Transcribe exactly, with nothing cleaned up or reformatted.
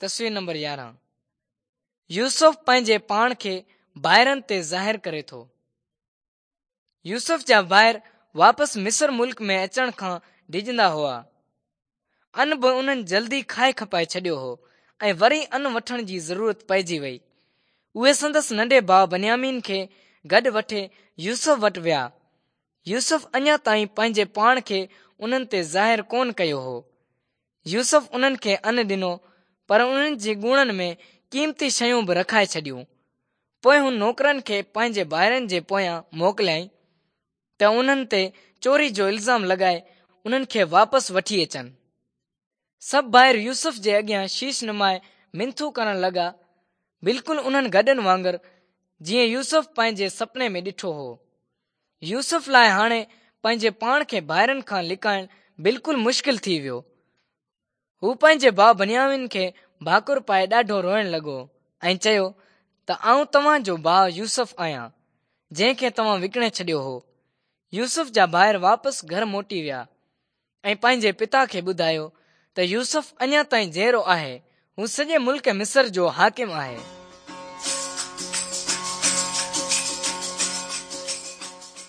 تصوير نمبر يارهن يوسف پنهنجي پاڻ کي ڀائرن تي ظاهر ڪري ٿو. يوسف جا ڀائر واپس مصر ملڪ ۾ اچڻ کان ڊڄندا هئا. ان به انهن جلدي کائي کپائي ڇڏيو هو ۽ وري ان وٺڻ جي ضرورت پئجي وئي. اهي سندس ننڍي ڀاء بنيامين کي گڏ وٺي يوسف وٽ ويا. يوسف اڃا تائين پنهنجي پاڻ کي انهن تي ظاهر ڪونه ڪيو هو. يوسف انهن کي ان ڏنو پر انهن جي ڳوڻن ۾ قيمتي شيون به رکائي ڇڏيون. پوءِ هن نوڪرن کي پنهنجي ڀائرن جي پويان موڪليائين ته انهن تي چوري جو الزام لڳائي انهن کي واپس وٺي اچن. سڀ ڀائر يوسف جي اڳيان شيش نمائي منٿون ڪرڻ لڳا، بلڪل انهن گڏهن وانگر جيئن يوسف پنهنجي سپني ۾ ڏٺو هو. يوسف لاءِ هاڻي پنهنجي پاڻ کي ڀائرن کان لڪائڻ بلڪل مشڪل ٿي ويو. هو پنهنجي ڀاءُ بنيامين کي ڀاڪر پائي ڏاڍو روئڻ لڳو ۽ چيو ته آئون توهان جو ڀاءُ يوسف آهيان، جنهن کي توهان وڪڻي ڇڏيو هو. يوسف جا ڀائر واپس گهر موٽي ويا ۽ پنهنجي پتا کي ٻڌايو ته يوسف اڃا تائين جيئرو آهي، هو سڄي ملڪ مصر جو حاڪم آهي.